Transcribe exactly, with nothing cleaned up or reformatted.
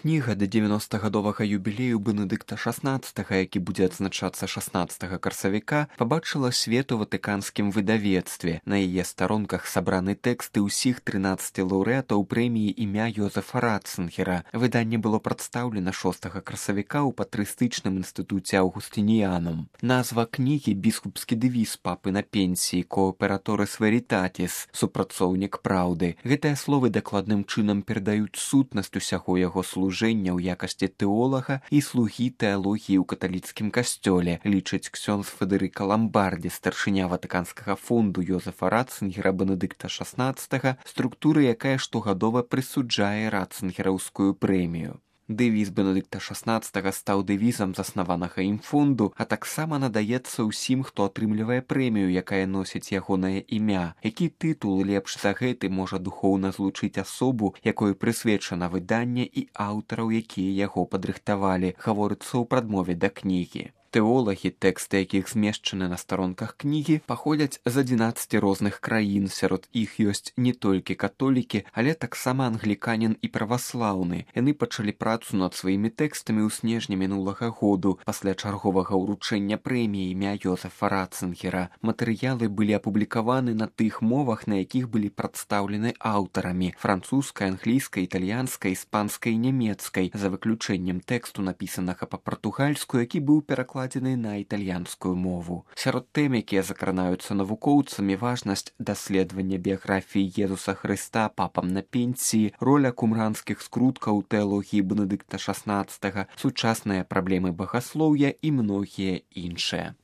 кніга да дзевяностагадовага юбілею Бенедыкта шаснаццатага, які будзе адзначацца шаснаццатага красавіка, пабачыла свет у ватыканскім выдавецтве. На яе старонках сабраны тэксты ўсіх трынаццаці лаўрэатаў прэміі імя Йозефа Ратцынгера. Выданне было прадстаўлена шостага красавіка ў патрыстычным інстытуце Аўгустыніянум. Назва кнігі біскупскі дэвіз папы на пенсіі «Кооператорис веритатис» – супрацоўнік праўды. Гэтыя словы дакладным чынам перадаюць сутнасць усяго яго служэння ў якасці тэолага і слугі тэалогіі ў каталіцкім касцёле, лічыць ксёндз Федэрыка Ламбардзі, старшыня ватыканскага фонду Йозефа Ратцынгера Бенедыкта шаснаццатага, структуры, якая штогадова прысуджае Ратцынгераўскую прэмію. Дэвіз Бенедыкта шаснаццатага стаў дэвізам заснаванага ім фонду, а таксама надаецца ўсім, хто атрымлівае прэмію, якая носіць ягонае імя. Які тытул лепш за гэты можа духоўна злучыць асобу, якой прысвечана выданне і аўтараў, якія яго падрыхтавалі, гаворыцца ў прадмове да кнігі. Тэолагі, тэксты якіх змешчаны на старонках кнігі, паходзяць з адзінаццаці розных краін, сярод іх ёсць не толькі католікі, але таксама англіканін і праваслаўны. Яны пачалі працу над сваімі тэкстамі ў снежні мінулага году, пасля чарговага ўручэння прэміі імя Йозефа Ратцынгера. Матэрыялы былі апублікаваны на тых мовах, на якіх былі прадстаўлены аўтарамі – французскай, англійскай, італьянскай, іспанскай і нямецкай, за выключэннем тэксту, напісанага па-партугальску, які быў перакладзены на італьянскую мову. Сярод тэм, якія закранаюцца навукоўцамі, важнасць даследавання біяграфіі Езуса Хрыста папам на пенсіі, роля кумранскіх скруткаў у тэалогіі Бенедыкта шаснаццатага, сучасныя праблемы багаслоўя і многія іншыя.